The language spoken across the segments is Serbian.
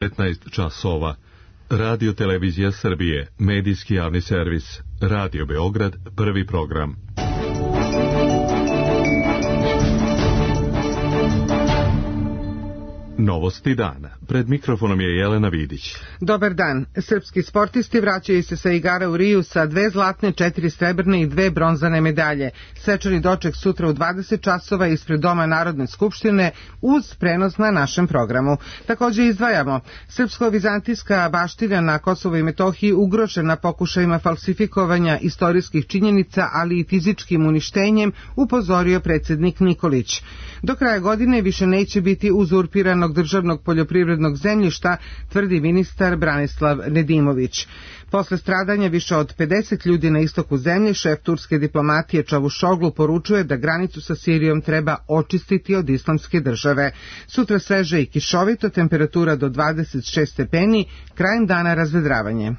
19 časova. Radio Televizija Srbije, medijski javni servis, Radio Beograd, prvi program. Novosti dana. Pred mikrofonom je Jelena Vidić. Dobar dan. Srpski sportisti vraćaju se sa igara u Riju sa 2 zlatne, 4 srebrne i 2 bronzane medalje. Svečani doček sutra u 20 časova ispred Doma Narodne skupštine uz prenos na našem programu. Također izdvajamo. Srpsko-vizantijska baština na Kosovu i Metohiji ugrožena pokušajima falsifikovanja istorijskih činjenica, ali i fizičkim uništenjem, upozorio predsjednik Nikolić. Do kraja godine više neće biti uzurpiranog državnog poljoprivrednog zemljišta, tvrdi ministar Branislav Nedimović. Posle stradanja više od 50 ljudi na istoku zemlje, šef turske diplomatije Čavušoglu poručuje da granicu sa Sirijom treba očistiti od islamske države. Sutra sveže i kišovito, temperatura do 26 stepeni, krajem dana razvedravanje.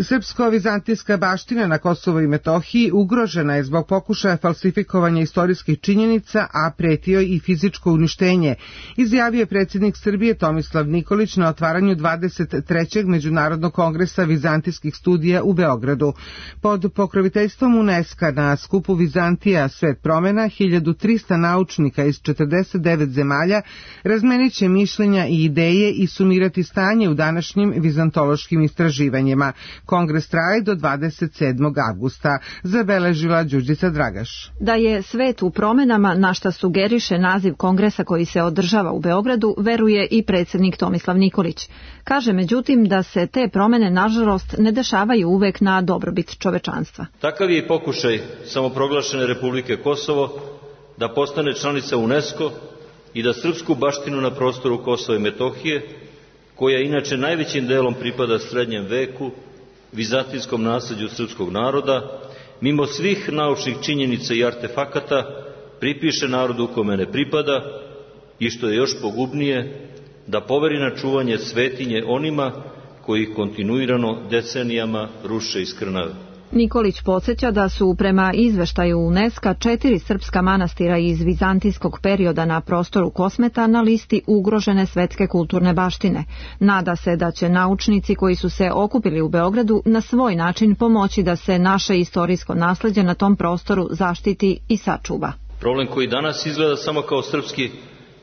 Srpsko-vizantijska baština na Kosovu i Metohiji ugrožena je zbog pokušaja falsifikovanja istorijskih činjenica, a pretio i fizičko uništenje, izjavio je predsjednik Srbije Tomislav Nikolić na otvaranju 23. Međunarodnog kongresa vizantijskih studija u Beogradu. Pod pokroviteljstvom UNESCO na skupu Vizantija Svet promena 1300 naučnika iz 49 zemalja razmenit će mišljenja i ideje i sumirati stanje u današnjim vizantološkim istraživanjima. Kongres traje do 27. avgusta, zabeležila Đurđica Dragaš. Da je svet u promenama, na šta sugeriše naziv kongresa koji se održava u Beogradu, veruje i predsjednik Tomislav Nikolić. Kaže međutim da se te promene nažalost ne dešavaju uvek na dobrobit čovečanstva. Takav je i pokušaj samoproglašene Republike Kosovo da postane članica UNESCO i da srpsku baštinu na prostoru Kosova i Metohije, koja inače najvećim delom pripada srednjem veku, vizantijskom nasleđu srpskog naroda, mimo svih naučnih činjenica i artefakata, pripiše narodu kome ne pripada i, što je još pogubnije, da poveri na čuvanje svetinje onima koji kontinuirano decenijama ruše i skrnave. Nikolić podsjeća da su prema izveštaju UNESCO 4 srpska manastira iz vizantijskog perioda na prostoru Kosmeta na listi ugrožene svetske kulturne baštine. Nada se da će naučnici koji su se okupili u Beogradu na svoj način pomoći da se naše istorijsko nasleđe na tom prostoru zaštiti i sačuva. Problem koji danas izgleda samo kao srpski,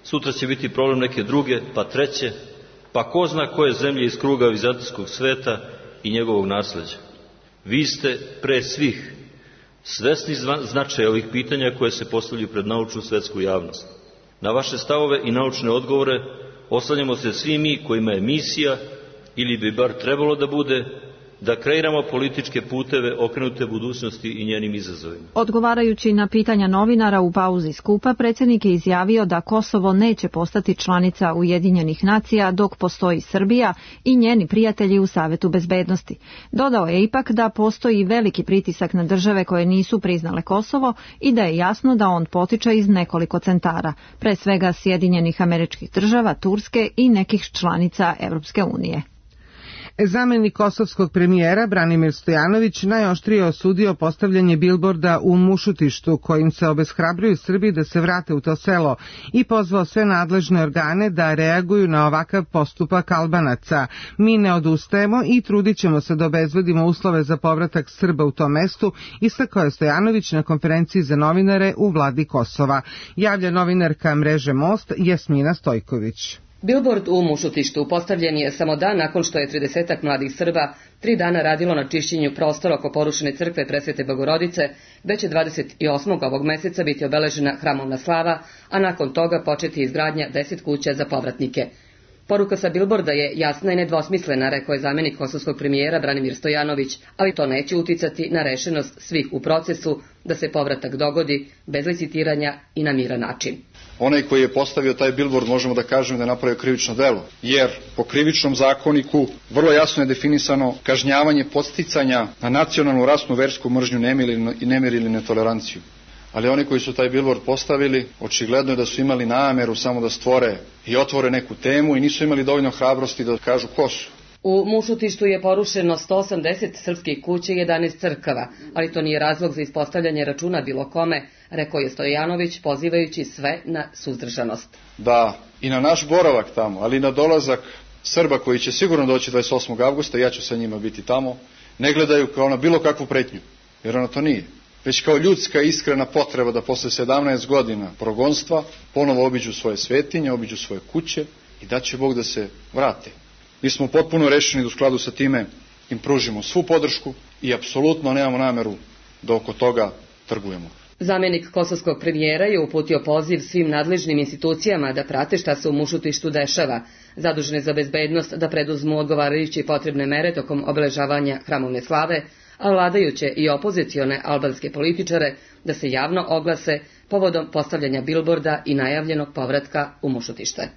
sutra će biti problem neke druge, pa treće, pa ko zna koje zemlje iz kruga vizantijskog sveta i njegovog nasleđa. Vi ste pre svih svesni značaja ovih pitanja koje se postavljaju pred naučnu svetsku javnost. Na vaše stavove i naučne odgovore oslanjamo se svi mi kojima je misija, ili bi bar trebalo da bude, da kreiramo političke puteve okrenute budućnosti i njenim izazovima. Odgovarajući na pitanja novinara u pauzi skupa, predsjednik je izjavio da Kosovo neće postati članica Ujedinjenih nacija dok postoji Srbija i njeni prijatelji u Savetu bezbednosti. Dodao je ipak da postoji veliki pritisak na države koje nisu priznale Kosovo i da je jasno da on potiče iz nekoliko centara, pre svega Sjedinjenih Američkih Država, Turske i nekih članica Evropske unije. Zamenik kosovskog premijera Branimir Stojanović najoštrije osudio postavljanje bilborda u Mušutištu kojim se obeshrabruju Srbi da se vrate u to selo i pozvao sve nadležne organe da reaguju na ovakav postupak Albanaca. Mi ne odustajemo i trudit ćemo se da obezbedimo uslove za povratak Srba u tom mestu, istakao je Stojanović na konferenciji za novinare u vladi Kosova. Javlja novinarka mreže Most Jasmina Stojković. Bilbord u Mušutištu postavljen je samo dan nakon što je 30 mladih Srba 3 dana radilo na čišćenju prostora oko porušene crkve Presvete Bogorodice, već će 28. ovog meseca biti obeležena hramovna slava, a nakon toga početi izgradnja 10 kuća za povratnike. Poruka sa bilborda je jasna i nedvosmislena, rekao je zamenik kosovskog premijera Branimir Stojanović, ali to neće uticati na rešenost svih u procesu da se povratak dogodi bez licitiranja i na miran način. Onaj koji je postavio taj bilbord možemo da kažemo da je napravio krivično delo, jer po krivičnom zakoniku vrlo jasno je definisano kažnjavanje podsticanja na nacionalnu, rasnu, versku mržnju, nemir ili netoleranciju. Ali oni koji su taj bilbord postavili, očigledno je da su imali nameru samo da stvore i otvore neku temu i nisu imali dovoljno hrabrosti da kažu ko su. U Mušutištu je porušeno 180 srpskih kuća i 11 crkava, ali to nije razlog za ispostavljanje računa bilo kome, rekao je Stojanović, pozivajući sve na suzdržanost. Da i na naš boravak tamo, ali i na dolazak Srba koji će sigurno doći 28. avgusta, ja ću sa njima biti tamo, ne gledaju kao na bilo kakvu pretnju, jer ona to nije, već kao ljudska iskrena potreba da posle 17 godina progonstva ponovo obiđu svoje svetinje, obiđu svoje kuće i da će Bog da se vrate. Mi smo potpuno rešeni da u skladu sa time im pružimo svu podršku i apsolutno nemamo nameru da oko toga trgujemo. Zamjenik kosovskog premijera je uputio poziv svim nadležnim institucijama da prate šta se u Mušutištu dešava, zadužene za bezbednost da preduzmu odgovarajuće i potrebne mere tokom obeležavanja hramovne slave, a vladajuće i opozicione albanske političare da se javno oglase povodom postavljanja bilborda i najavljenog povratka u Mušutište.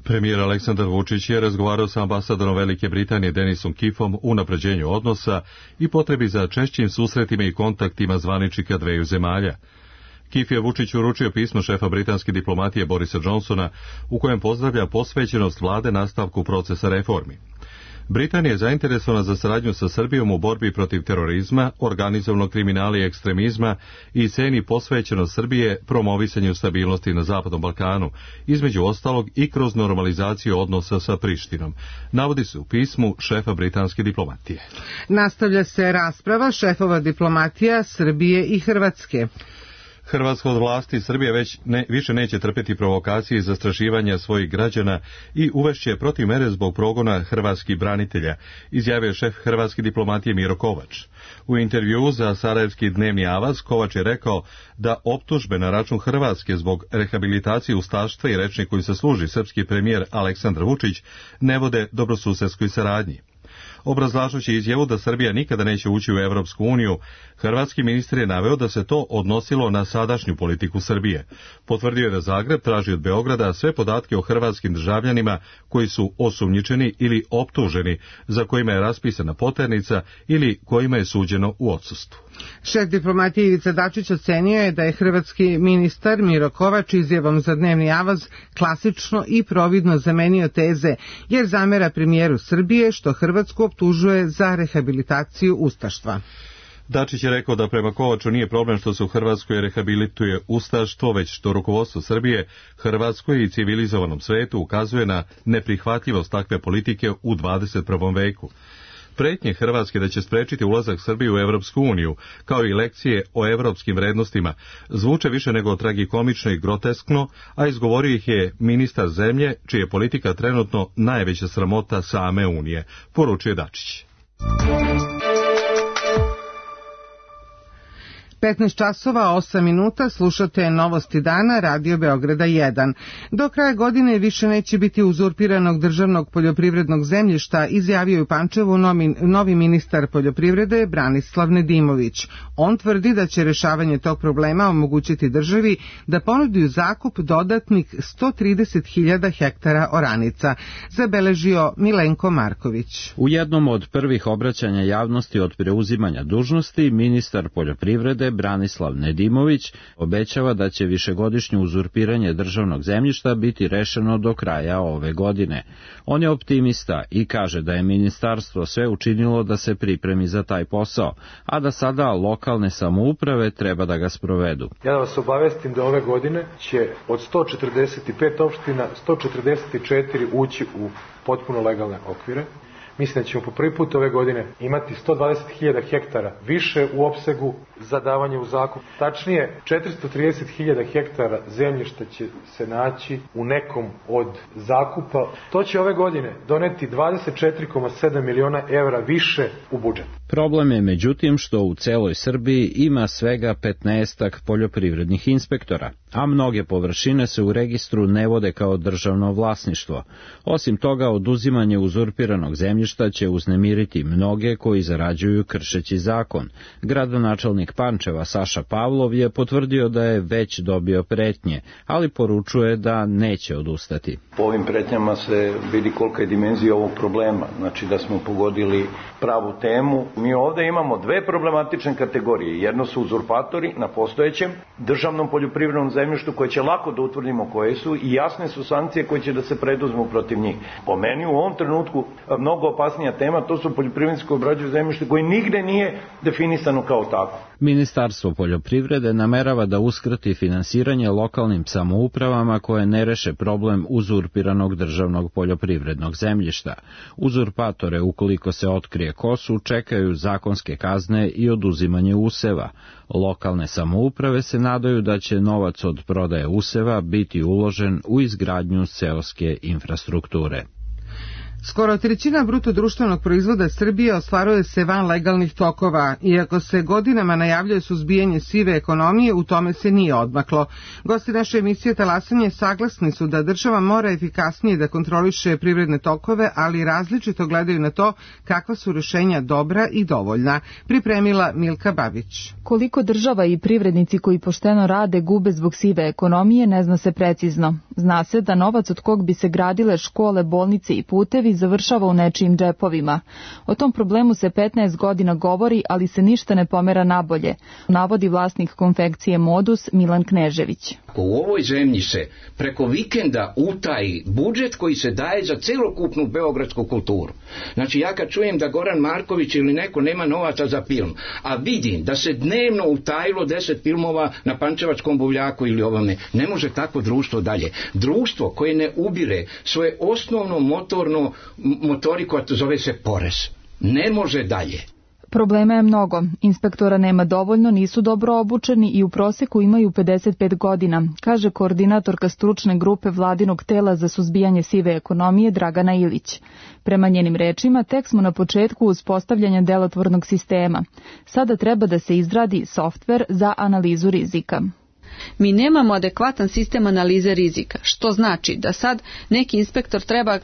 Premijer Aleksandar Vučić je razgovarao sa ambasadorom Velike Britanije Denisom Kiffom o unapređenju odnosa i potrebi za češćim susretima i kontaktima zvaničnika dveju zemalja. Kiff je Vučiću uručio pismo šefa britanske diplomatije Borisa Johnsona u kojem pozdravlja posvećenost vlade nastavku procesa reformi. Britanija je zainteresovana za saradnju sa Srbijom u borbi protiv terorizma, organizovanog kriminala i ekstremizma i ceni posvećenost Srbije promovisanju stabilnosti na Zapadnom Balkanu, između ostalog i kroz normalizaciju odnosa sa Prištinom, navodi se u pismu šefa britanske diplomatije. Nastavlja se rasprava šefova diplomatija Srbije i Hrvatske. Hrvatska od vlasti Srbije više neće trpeti provokacije i zastrašivanja svojih građana i uvešće protiv mere zbog progona hrvatskih branitelja, izjavio šef hrvatske diplomatije Miro Kovač. U intervjuu za Sarajevski dnevni avaz Kovač je rekao da optužbe na račun Hrvatske zbog rehabilitacije ustaštva i rečnik koji se služi srpski premijer Aleksandar Vučić ne vode dobrosusedskoj saradnji. Obrazlažući izjavu da Srbija nikada neće ući u Evropsku uniju, hrvatski ministar je naveo da se to odnosilo na sadašnju politiku Srbije. Potvrdio je da Zagreb traži od Beograda sve podatke o hrvatskim državljanima koji su osumnjičeni ili optuženi, za kojima je raspisana poternica ili kojima je suđeno u odsustvu. Šef diplomatije Ivica Dačić ocenio je da je hrvatski ministar Miro Kovač izjavom za dnevni avaz klasično i providno zamenio teze, jer zamera premijeru Srbije što Hrvatsku optužuje za rehabilitaciju ustaštva. Dačić je rekao da prema Kovaču nije problem što se u Hrvatskoj rehabilituje ustaštvo, već što rukovodstvo Srbije, Hrvatskoj i civilizovanom svetu ukazuje na neprihvatljivost takve politike u 21. veku. Pretnje Hrvatske da će sprečiti ulazak Srbije u Evropsku uniju, kao i lekcije o evropskim vrednostima, zvuče više nego tragikomično i groteskno, a izgovorio ih je ministar zemlje, čija je politika trenutno najveća sramota same Unije, poručuje Dačić. 15 časova 8 minuta slušate Novosti dana Radio Beograda 1. Do kraja godine više neće biti uzurpiranog državnog poljoprivrednog zemljišta, izjavio je u Pančevu novi ministar poljoprivrede Branislav Nedimović. On tvrdi da će rešavanje tog problema omogućiti državi da ponudi u zakup dodatnih 130.000 hektara oranica, zabeležio Milenko Marković. U jednom od prvih obraćanja javnosti od preuzimanja dužnosti, ministar poljoprivrede Branislav Nedimović obećava da će višegodišnje uzurpiranje državnog zemljišta biti rešeno do kraja ove godine. On je optimista i kaže da je ministarstvo sve učinilo da se pripremi za taj posao, a da sada lokalne samouprave treba da ga sprovedu. Ja da vas obavestim da ove godine će od 145 opština 144 ući u potpuno legalne okvire. Mislim da ćemo po prvi put ove godine imati 120.000 hektara više u opsegu za davanje u zakup. Tačnije, 430.000 hektara zemljišta će se naći u nekom od zakupa. To će ove godine doneti 24,7 miliona evra više u budžet. Problem je međutim što u celoj Srbiji ima svega 15 poljoprivrednih inspektora, a mnoge površine se u registru ne vode kao državno vlasništvo. Osim toga, oduzimanje uzurpiranog zemljišta će uznemiriti mnoge koji zarađuju kršeći zakon. Gradonačelnik Pančeva Saša Pavlov je potvrdio da je već dobio pretnje, ali poručuje da neće odustati. Po ovim pretnjama se vidi kolika je dimenzija ovog problema, znači da smo pogodili pravu temu. Mi ovdje imamo dve problematične kategorije. Jedno su uzurpatori na postojećem državnom poljoprivrednom zemljištu koje će lako da utvrdimo koje su i jasne su sankcije koje će da se preduzmu protiv njih. Po meni u ovom trenutku mnogo opasnija tema, to su poljoprivrednici koji obrađuju zemljište koje nigde nije definisano kao tako. Ministarstvo poljoprivrede namerava da uskrati finansiranje lokalnim samoupravama koje ne reše problem uzurpiranog državnog poljoprivrednog zemljišta. Uzurpatore, ukoliko se otkrije ko su, čekaju zakonske kazne i oduzimanje useva. Lokalne samouprave se nadaju da će novac od prodaje useva biti uložen u izgradnju seoske infrastrukture. Skoro trećina bruto društvenog proizvoda Srbije ostvaruje se van legalnih tokova. Iako se godinama najavljuje suzbijanje sive ekonomije, u tome se nije odmaklo. Gosti naše emisije Talasanje saglasni su da država mora efikasnije da kontroliše privredne tokove, ali različito gledaju na to kakva su rešenja dobra i dovoljna. Pripremila Milka Babić. Koliko država i privrednici koji pošteno rade gube zbog sive ekonomije ne zna se precizno. Zna se da novac od kog bi se gradile škole, bolnice i putevi završava u nečijim džepovima. O tom problemu se 15 godina govori, ali se ništa ne pomera nabolje, navodi vlasnik konfekcije Modus Milan Knežević. Ako u ovoj zemlji se preko vikenda utaji budžet koji se daje za celokupnu beogradsku kulturu. Znači ja kad čujem da Goran Marković ili neko nema novaca za film, a vidim da se dnevno utajilo 10 filmova na Pančevačkom buvljaku ili ovome, ne može tako društvo dalje. Društvo koje ne ubire svoje osnovno motoriku, a to zove se porez, ne može dalje. Problema je mnogo. Inspektora nema dovoljno, nisu dobro obučeni i u proseku imaju 55 godina, kaže koordinatorka stručne grupe vladinog tela za suzbijanje sive ekonomije Dragana Ilić. Prema njenim rečima, tek smo na početku uspostavljanja delotvornog sistema. Sada treba da se izradi softver za analizu rizika. Mi nemamo adekvatan sistem analize rizika, što znači da sad neki inspektor treba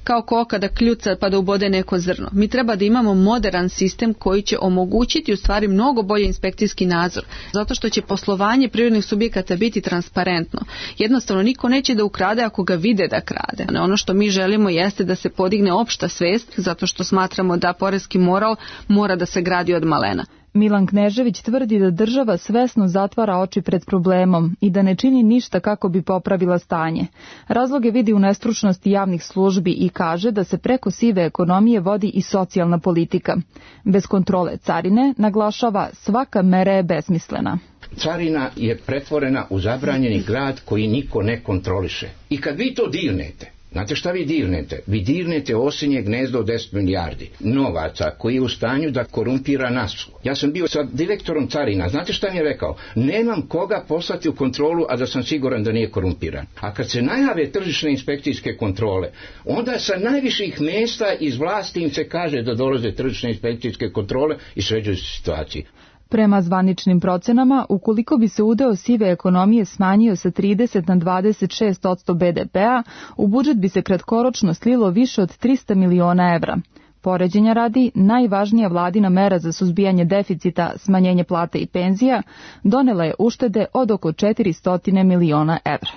kao koka da kljuca pa da ubode neko zrno. Mi treba da imamo moderan sistem koji će omogućiti u stvari mnogo bolje inspekcijski nadzor, zato što će poslovanje privrednih subjekata biti transparentno. Jednostavno niko neće da ukrade ako ga vide da krade. Ono što mi želimo jeste da se podigne opšta svest, zato što smatramo da poreski moral mora da se gradi od malena. Milan Knežević tvrdi da država svesno zatvara oči pred problemom i da ne čini ništa kako bi popravila stanje. Razloge vidi u nestručnosti javnih službi i kaže da se preko sive ekonomije vodi i socijalna politika. Bez kontrole carine, naglašava, svaka mera je besmislena. Carina je pretvorena u zabranjeni grad koji niko ne kontroliše. I kad vi to dirnete, znate šta vi dirnete? Vi dirnete osinje gnezdo od 10 milijardi novaca koji je u stanju da korumpira nas. Ja sam bio sa direktorom carina, znate šta mi je rekao? Nemam koga poslati u kontrolu, a da sam siguran da nije korumpiran. A kad se najave tržišne inspekcijske kontrole, onda sa najviših mjesta iz vlasti im se kaže da dolaze tržišne inspekcijske kontrole i sređuju se situaciji. Prema zvaničnim procenama, ukoliko bi se udeo sive ekonomije smanjio sa 30 na 26% BDP-a, u budžet bi se kratkoročno slilo više od 300 miliona evra. Poređenja radi, najvažnija vladina mera za suzbijanje deficita, smanjenje plata i penzija, donela je uštede od oko 400 miliona evra.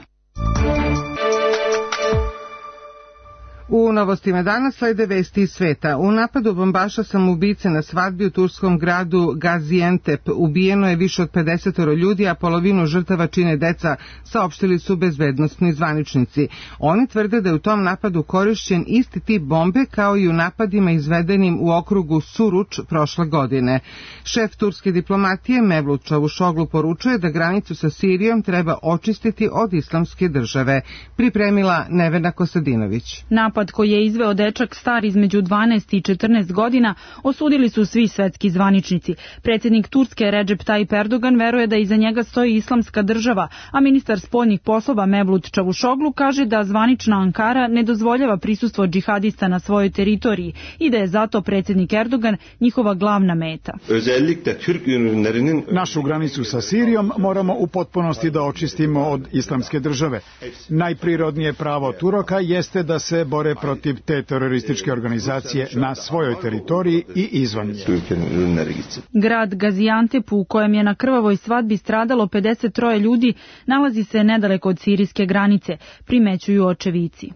U novostima danas slede vesti iz sveta. U napadu bombaša samoubice na svadbi u turskom gradu Gaziantep ubijeno je više od 50 ljudi, a polovinu žrtava čine deca, saopštili su bezbednosni zvaničnici. Oni tvrde da je u tom napadu korišćen isti tip bombe kao i u napadima izvedenim u okrugu Suruč prošle godine. Šef turske diplomatije Mevlut Čavuşoglu poručuje da granicu sa Sirijom treba očistiti od islamske države. Pripremila Nevena Kostadinović. Napad koji je izveo dečak star između 12 i 14 godina osudili su svi svetski zvaničnici. Predsjednik Turske Recep Tayyip Erdogan veruje da iza njega stoji islamska država, a ministar spoljnih poslova Mevlut Čavuşoglu kaže da zvanična Ankara ne dozvoljava prisustvo džihadista na svojoj teritoriji i da je zato predsjednik Erdogan njihova glavna meta. Našu granicu sa Sirijom moramo u potpunosti da očistimo od islamske države. Najprirodnije pravo Turaka jeste da se bore protiv te terorističke organizacije na svojoj teritoriji i izvan nje. Grad Gaziantep, u kojem je na krvavoj svadbi stradalo 53 ljudi, nalazi se nedaleko od sirijske granice, primećuju očevici.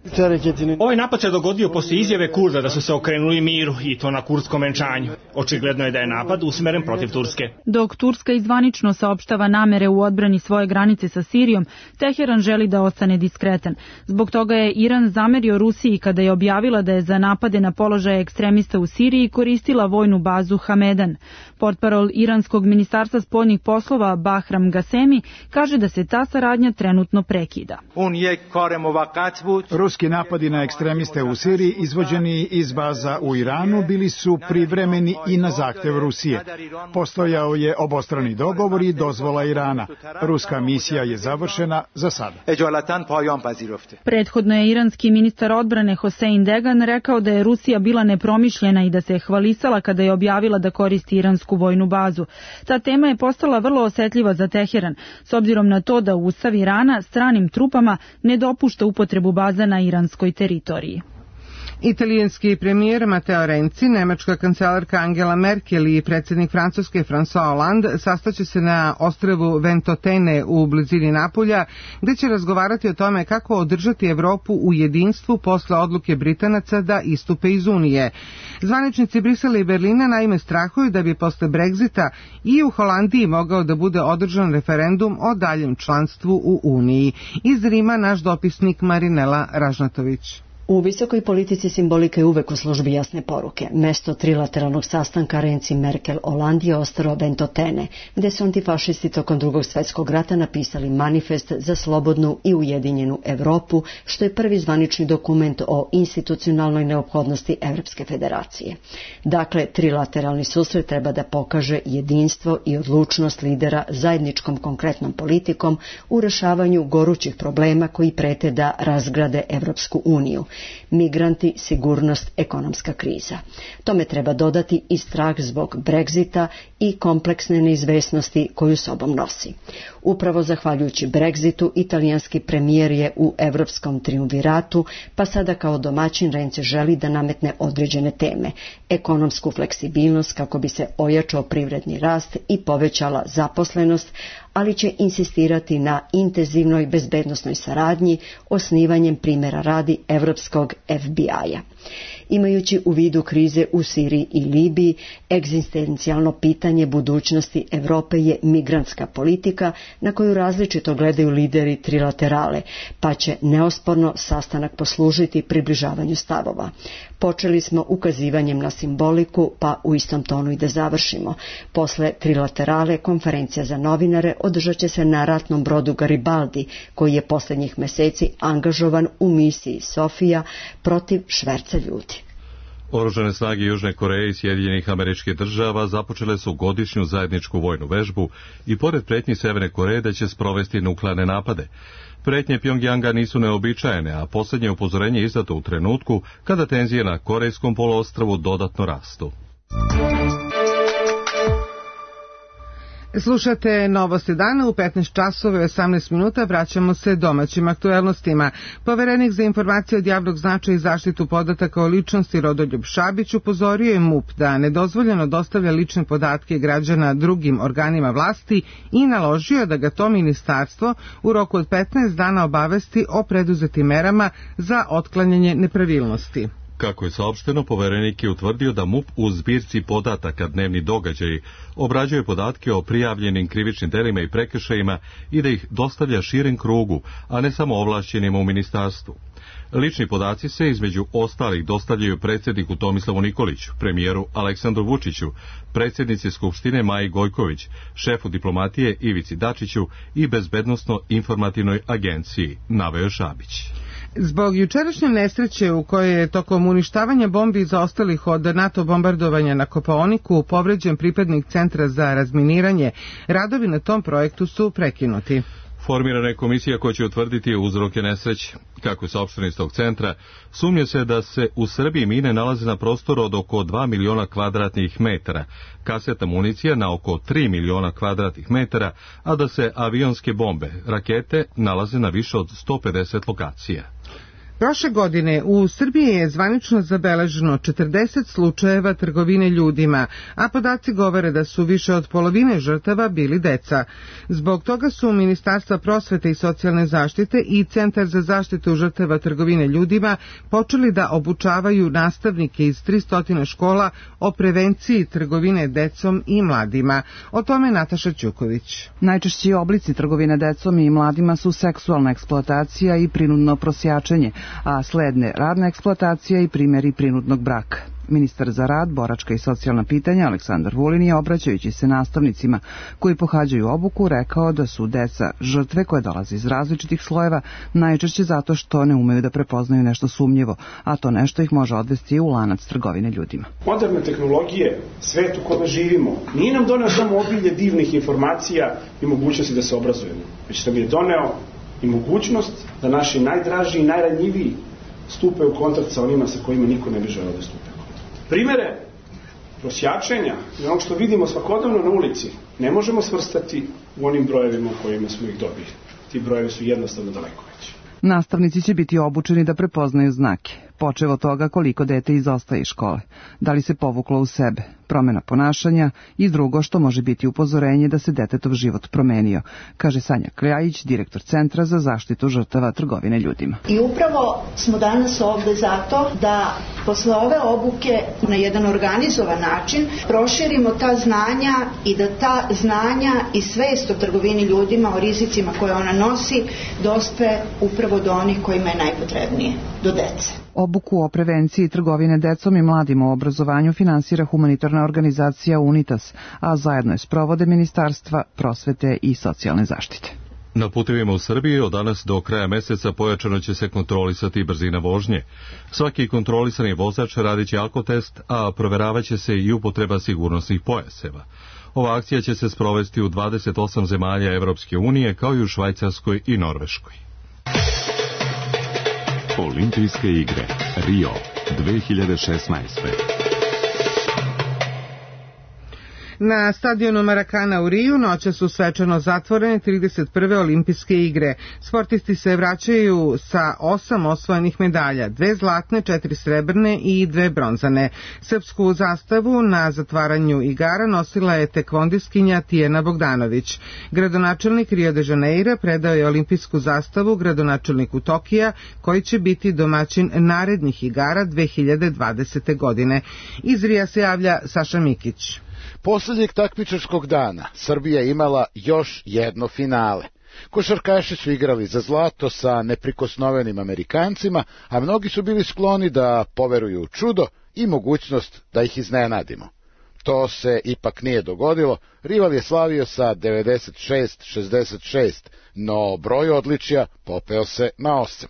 Ovaj napad se dogodio poslije izjave Kurda da su se okrenuli miru i to na kurdskom venčanju. Očigledno je da je napad usmeren protiv Turske. Dok Turska izvanično saopštava namere u odbrani svoje granice sa Sirijom, Teheran želi da ostane diskretan. Zbog toga je Iran zamerio Rusiji kada je objavila da je za napade na položaje ekstremista u Siriji koristila vojnu bazu Hamedan. Portparol iranskog ministarstva spoljnih poslova Bahram Gasemi kaže da se ta saradnja trenutno prekida. Ruski napadi na ekstremiste u Siriji izvođeni iz baza u Iranu bili su privremeni i na zahtev Rusije. Postojao je obostrani dogovor i dozvola Irana. Ruska misija je završena za sada. Prethodno je iranski ministar odbrane Hossein Degan rekao da je Rusija bila nepromišljena i da se je hvalisala kada je objavila da koristi iransku vojnu bazu. Ta tema je postala vrlo osetljiva za Teheran, s obzirom na to da Ustav Irana stranim trupama ne dopušta upotrebu baza na iranskoj teritoriji. Italijanski premijer Matteo Renzi, nemačka kancelarka Angela Merkel i predsjednik Francuske François Hollande sastaće se na ostrvu Ventotene u blizini Napulja, gde će razgovarati o tome kako održati Evropu u jedinstvu posle odluke Britanaca da istupe iz Unije. Zvaničnici Brisela i Berlina naime strahuju da bi posle Brexita i u Holandiji mogao da bude održan referendum o daljem članstvu u Uniji. Iz Rima naš dopisnik Marinela Ražnatović. U visokoj politici simbolika je uvek u službi jasne poruke. Mesto trilateralnog sastanka Renzi-Merkel-Hollande je ostrvo Ventotene, gde su antifašisti tokom Drugog svjetskog rata napisali manifest za slobodnu i ujedinjenu Evropu, što je prvi zvanični dokument o institucionalnoj neophodnosti Evropske federacije. Dakle, trilateralni susret treba da pokaže jedinstvo i odlučnost lidera zajedničkom konkretnom politikom u rešavanju gorućih problema koji prete da razgrade Evropsku uniju. Migranti, sigurnost, ekonomska kriza. Tome treba dodati i strah zbog Brexita i kompleksne neizvesnosti koju sobom nosi. Upravo zahvaljujući Brexitu, italijanski premijer je u evropskom triumviratu, pa sada kao domaćin Renzi želi da nametne određene teme. Ekonomsku fleksibilnost kako bi se ojačao privredni rast i povećala zaposlenost, ali će insistirati na intenzivnoj bezbednosnoj saradnji osnivanjem primjera radi evropskog FBI-a. Imajući u vidu krize u Siriji i Libiji, egzistencijalno pitanje budućnosti Evrope je migrantska politika na koju različito gledaju lideri trilaterale, pa će neosporno sastanak poslužiti približavanju stavova. Počeli smo ukazivanjem na simboliku, pa u istom tonu i da završimo. Posle trilaterale konferencija za novinare održat će se na ratnom brodu Garibaldi, koji je posljednjih meseci angažovan u misiji Sofija protiv šverca ljudi. Oružane snage Južne Koreje i Sjedinjenih Američkih Država započele su godišnju zajedničku vojnu vežbu i pored pretnji Severne Koreje da će sprovesti nuklearne napade. Pretnje Pjongjanga nisu neobičajene, a posljednje upozorenje je izdato u trenutku kada tenzije na Korejskom poluostrvu dodatno rastu. Slušate Novosti dana u 15 časova i 18 minuta. Vraćamo se domaćim aktuelnostima. Poverenik za informacije od javnog značaja i zaštitu podataka o ličnosti Rodoljub Šabić upozorio je MUP da nedozvoljeno dostavlja lične podatke građana drugim organima vlasti i naložio da ga to ministarstvo u roku od 15 dana obavesti o preduzetim merama za otklanjanje nepravilnosti. Kako je saopšteno, poverenik je utvrdio da MUP u zbirci podataka Dnevni događaji obrađuje podatke o prijavljenim krivičnim delima i prekršajima i da ih dostavlja širem krugu, a ne samo ovlašćenima u ministarstvu. Lični podaci se između ostalih dostavljaju predsjedniku Tomislavu Nikoliću, premijeru Aleksandru Vučiću, predsjednici Skupštine Maji Gojković, šefu diplomatije Ivici Dačiću i Bezbednosno-informativnoj agenciji, naveo Šabić. Zbog jučerašnje nesreće u kojoj je tokom uništavanja bombi zaostalih od NATO bombardovanja na Kopaoniku povređen pripadnik Centra za razminiranje, radovi na tom projektu su prekinuti. Formirana je komisija koja će utvrditi uzroke nesreće. Kako je saopšteno iz tog centra, sumnje se da se u Srbiji mine nalaze na prostoru od oko 2 miliona kvadratnih metara, kasetna municija na oko 3 miliona kvadratnih metara, a da se avionske bombe, rakete, nalaze na više od 150 lokacija. Prošle godine u Srbiji je zvanično zabeleženo 40 slučajeva trgovine ljudima, a podaci govore da su više od polovine žrtava bili deca. Zbog toga su Ministarstva prosvete i socijalne zaštite i Centar za zaštitu žrtava trgovine ljudima počeli da obučavaju nastavnike iz 300 škola o prevenciji trgovine decom i mladima. O tome Nataša Ćuković. Najčešći oblici trgovine decom i mladima su seksualna eksploatacija i prinudno prosjačenje, a sledne radna eksploatacija i primjeri prinudnog braka. Ministar za rad, boračka i socijalna pitanja Aleksandar Vulin je, obraćajući se nastavnicima koji pohađaju obuku, rekao da su deca žrtve koje dolaze iz različitih slojeva, najčešće zato što ne umeju da prepoznaju nešto sumnjivo, a to nešto ih može odvesti u lanac trgovine ljudima. Moderne tehnologije, svet u kome živimo, nije nam doneo samo obilje divnih informacija i mogućnosti da se obrazujemo, već nam je doneo i mogućnost da naši najdraži i najranjiviji stupe u kontakt sa onima sa kojima niko ne bi želeo da stupe. Primere prosjačenja i onog što vidimo svakodnevno na ulici ne možemo svrstati u onim brojevima u kojima smo ih dobili. Ti brojevi su jednostavno daleko veći. Nastavnici će biti obučeni da prepoznaju znake, počev od toga koliko dete izostaje iz škole, da li se povuklo u sebe, promjena ponašanja i drugo što može biti upozorenje da se detetov život promenio, kaže Sanja Kljajić, direktor Centra za zaštitu žrtava trgovine ljudima. I upravo smo danas ovde zato da posle ove obuke na jedan organizovan način proširimo ta znanja i da ta znanja i svest o trgovini ljudima, o rizicima koje ona nosi, dospe upravo do onih kojima je najpotrebnije, do dece. Obuku o prevenciji trgovine decom i mladima u obrazovanju finansira humanitarna organizacija UNITAS, a zajedno je sprovode Ministarstva prosvete i socijalne zaštite. Na putevima u Srbiji od danas do kraja meseca pojačano će se kontrolisati brzina vožnje. Svaki kontrolisani vozač radit će alkotest, a proveravaće se i upotreba sigurnosnih pojaseva. Ova akcija će se sprovesti u 28 zemalja Evropske unije, kao i u Švajcarskoj i Norveškoj. Olimpijske igre Rio 2016. Na stadionu Marakana u Riju noća su svečano zatvorene 31. olimpijske igre. Sportisti se vraćaju sa 8 osvojenih medalja, 2 zlatne, 4 srebrne i 2 bronzane. Srpsku zastavu na zatvaranju igara nosila je tekvondiskinja Tijena Bogdanović. Gradonačelnik Rio de Janeira predao je olimpijsku zastavu gradonačelniku Tokija, koji će biti domaćin narednih igara 2020. godine. Iz Rija se javlja Saša Mikić. Poslednjeg takmičarskog dana Srbija je imala još jedno finale. Košarkaši su igrali za zlato sa neprikosnovenim Amerikancima, a mnogi su bili skloni da poveruju u čudo i mogućnost da ih iznenadimo. To se ipak nije dogodilo, rival je slavio sa 96-66, no broj odličja popeo se na 8.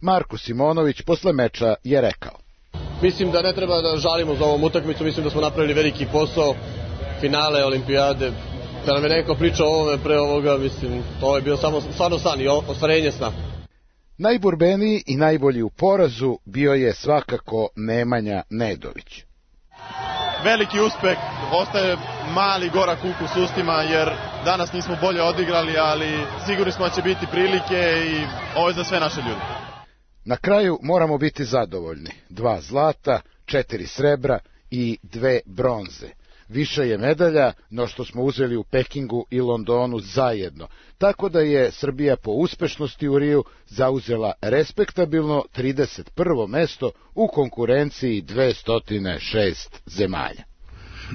Marko Simonović posle meča je rekao: Mislim da ne treba da žalimo za ovom utakmicu, mislim da smo napravili veliki posao, finale olimpijade. Da nam je neko pričao o ovome pre ovoga, mislim, to je bio stvarno san i ostvarenje sna. Najborbeniji i najbolji u porazu bio je svakako Nemanja Nedović. Veliki uspeh, ostaje mali gorak ukus ustima jer danas nismo bolje odigrali, ali sigurni smo da će biti prilike i ovo je za sve naše ljude. Na kraju moramo biti zadovoljni. 2 zlata, 4 srebra i 2 bronze. Više je medalja no što smo uzeli u Pekingu i Londonu zajedno, tako da je Srbija po uspešnosti u Riju zauzela respektabilno 31. mesto u konkurenciji 206 zemalja.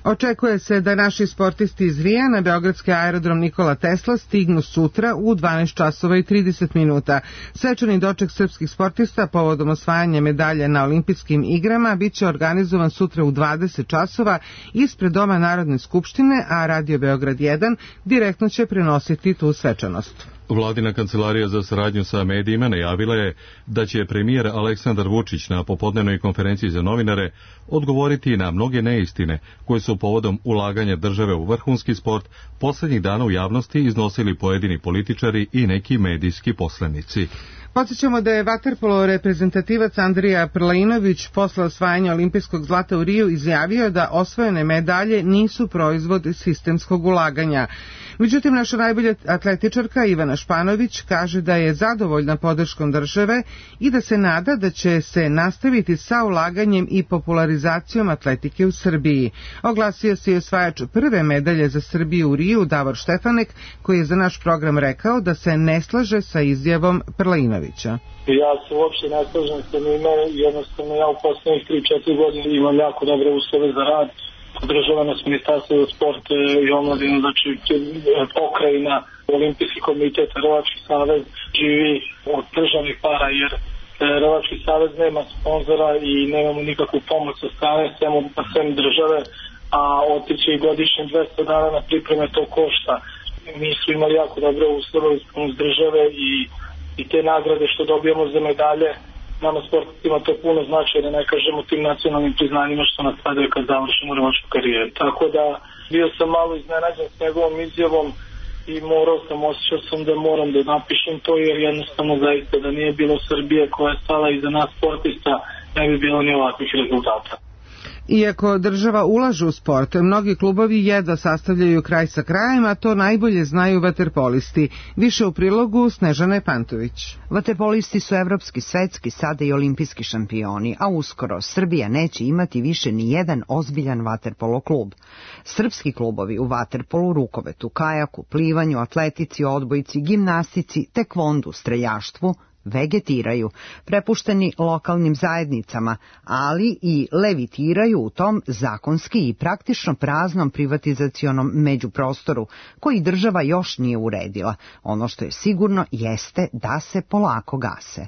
Očekuje se da naši sportisti iz Rija na beogradski aerodrom Nikola Tesla stignu sutra u 12 časova i 30 minuta. Svečani doček srpskih sportista povodom osvajanja medalje na olimpijskim igrama biće organizovan sutra u 20 časova ispred Doma Narodne skupštine, a Radio Beograd 1 direktno će prenositi tu svečanost. Vladina kancelarija za saradnju sa medijima najavila je da će premijer Aleksandar Vučić na popodnevnoj konferenciji za novinare odgovoriti na mnoge neistine koje su povodom ulaganja države u vrhunski sport poslednjih dana u javnosti iznosili pojedini političari i neki medijski poslenici. Podsjećamo da je vaterpolo reprezentativac Andrija Prlainović posle osvajanja olimpijskog zlata u Riju izjavio da osvojene medalje nisu proizvod sistemskog ulaganja. Međutim, naša najbolja atletičarka Ivana Španović kaže da je zadovoljna podrškom države i da se nada da će se nastaviti sa ulaganjem i popularizacijom atletike u Srbiji. Oglasio se i osvajač prve medalje za Srbiju u Riju, Davor Štefanek, koji je za naš program rekao da se ne slaže sa izjavom Prlainovića. Ja se uopšte ne slažem sa njima, jednostavno ja u poslednjih 3-4 godine imam jako dobre uslove za rad. Podržava nas Ministarstvo za sport i omladinu, znači pokrajina, Olimpijski komitet, Hrvatski savez živi od državnih para, jer Rvački savez nema sponzora i nemamo nikakvu pomoć sa strane, sem države, a otići i godišnje 200 dana na pripreme to košta. Mi smo imali jako dobre uslove uz države i te nagrade što dobijamo za medalje, nama sportistima to puno znači, da ne kažemo tim nacionalnim priznanjima što nas sadaju kad završimo rvačku karijeru. Tako da bio sam malo iznenađen s njegovom izjavom i osjećao sam da moram da napišem to, jer jednostavno zaista da nije bilo Srbije koja je stala iza nas sportista, ne bi bilo ni ovakvih rezultata. Iako država ulaže u sport, mnogi klubovi jedva sastavljaju kraj sa krajem, a to najbolje znaju vaterpolisti. Više u prilogu Snežane Pantović. Vaterpolisti su evropski, svetski, sada i olimpijski šampioni, a uskoro Srbija neće imati više ni jedan ozbiljan vaterpolo klub. Srpski klubovi u vaterpolu, rukometu, kajaku, plivanju, atletici, odbojci, gimnastici, tekvondu, streljaštvu vegetiraju, prepušteni lokalnim zajednicama, ali i levitiraju u tom zakonski i praktično praznom privatizacionom međuprostoru koji država još nije uredila. Ono što je sigurno jeste da se polako gase.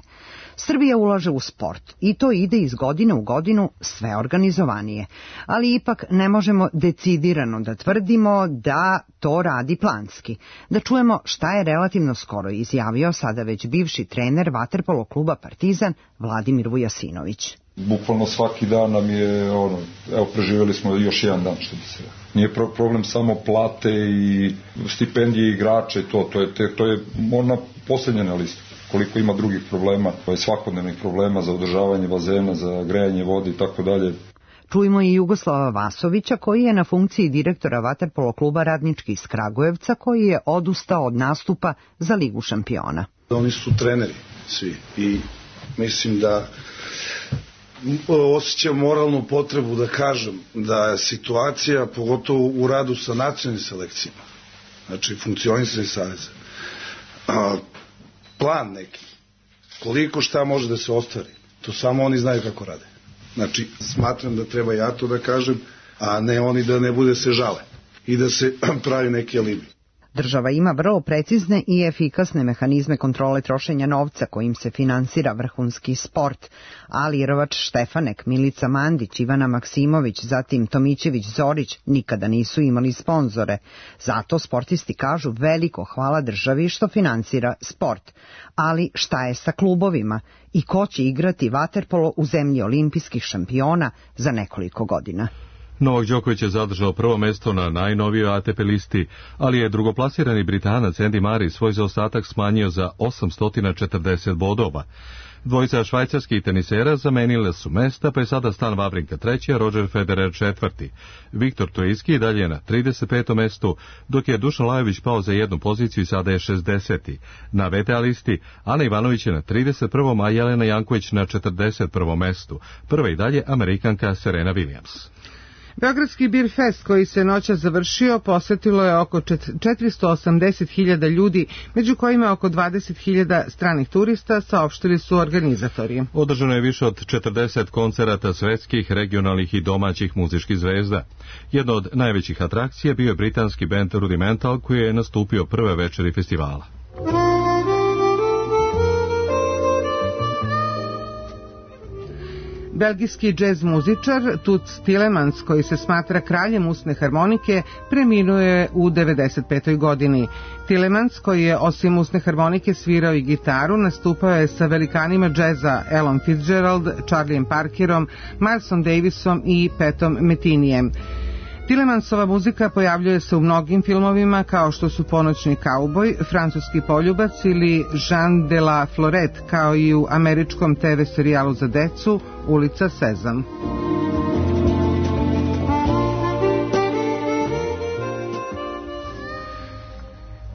Srbija ulaže u sport i to ide iz godine u godinu sve organizovanije, ali ipak ne možemo decidirano da tvrdimo da to radi planski. Da čujemo šta je relativno skoro izjavio sada već bivši trener vaterpolo kluba Partizan Vladimir Vujasinović. Bukvalno svaki dan nam je, evo preživjeli smo još jedan dan, što bi se. Nije problem samo plate i stipendije igrača i to je ona posljednja na listu. Koliko ima drugih problema, svakodnevnih problema za održavanje bazena, za grejanje vode i tako dalje. Čujemo i Jugoslava Vasovića, koji je na funkciji direktora vaterpolo kluba Radnički iz Kragujevca, koji je odustao od nastupa za Ligu šampiona. Oni su treneri svi i mislim da osjećam moralnu potrebu da kažem da je situacija, pogotovo u radu sa nacionalnim selekcijama, znači funkcionisanje saveza, plan neki, koliko šta može da se ostvari, to samo oni znaju kako rade. Znači, smatram da treba ja to da kažem, a ne oni da ne bude se žale i da se pravi neki alibi. Država ima vrlo precizne i efikasne mehanizme kontrole trošenja novca kojim se finansira vrhunski sport, ali rvač Štefanek, Milica Mandić, Ivana Maksimović, zatim Tomićević Zorić nikada nisu imali sponzore. Zato sportisti kažu veliko hvala državi što finansira sport. Ali šta je sa klubovima i ko će igrati vaterpolo u zemlji olimpijskih šampiona za nekoliko godina? Novak Đoković je zadržao prvo mesto na najnovijoj ATP listi, ali je drugoplasirani Britanac Andy Murray svoj zaostatak smanjio za 840 bodova. Dvojica švajcarskih tenisera zamenile su mesta, pa je sada Stan Wawrinka treći, a Roger Federer četvrti. Viktor Troicki dalje je na 35. mestu, dok je Dušan Lajović pao za jednu poziciju i sada je 60. Na VTA listi Ana Ivanović je na 31. a Jelena Janković na 41. mestu. Prva i dalje Amerikanka Serena Williams. Beogradski Bir Fest koji se noćas završio posetilo je oko 480.000 ljudi, među kojima oko 20.000 stranih turista, saopštili su organizatori. Održano je više od 40 koncerata svetskih, regionalnih i domaćih muzičkih zvezda. Jedna od najvećih atrakcija bio je britanski bend Rudimental koji je nastupio prve večeri festivala. Belgijski džez muzičar Toots Tillemans, koji se smatra kraljem usne harmonike, preminuo je u 95. godini. Tillemans, koji je osim usne harmonike svirao i gitaru, nastupao je sa velikanima džeza Ellom Fitzgerald, Charliem Parkerom, Milesom Davisom i Patom Metinijem. Tillemansova muzika pojavljuje se u mnogim filmovima kao što su Ponoćni kauboj, Francuski poljubac ili Jean de la Florette, kao i u američkom TV serijalu za decu Ulica Sezam.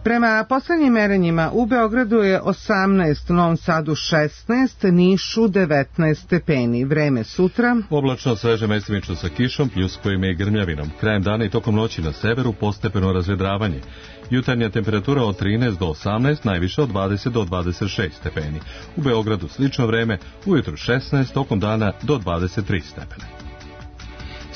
Prema poslednjim merenjima u Beogradu je 18, Novom Sadu 16, Nišu 19 stepeni. Vreme sutra. Oblačno, sveže, mestimično sa kišom, pljuskovima i grmljavinom. Krajem dana i tokom noći na severu postepeno razvedravanje. Jutarnja temperatura od 13 do 18, najviše od 20 do 26 stepeni. U Beogradu slično vreme, ujutro 16, tokom dana do 23 stepena.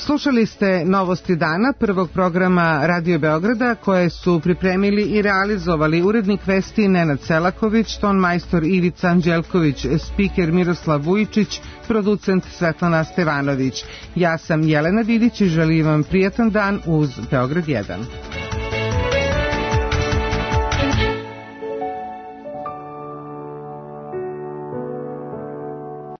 Slušali ste Novosti dana, prvog programa Radio Beograda, koje su pripremili i realizovali urednik vesti Nenad Selaković, tonmajstor Ivica Anđelković, spiker Miroslav Vujičić, producent Svetlana Stevanović. Ja sam Jelena Vidić i želim vam prijatan dan uz Beograd 1.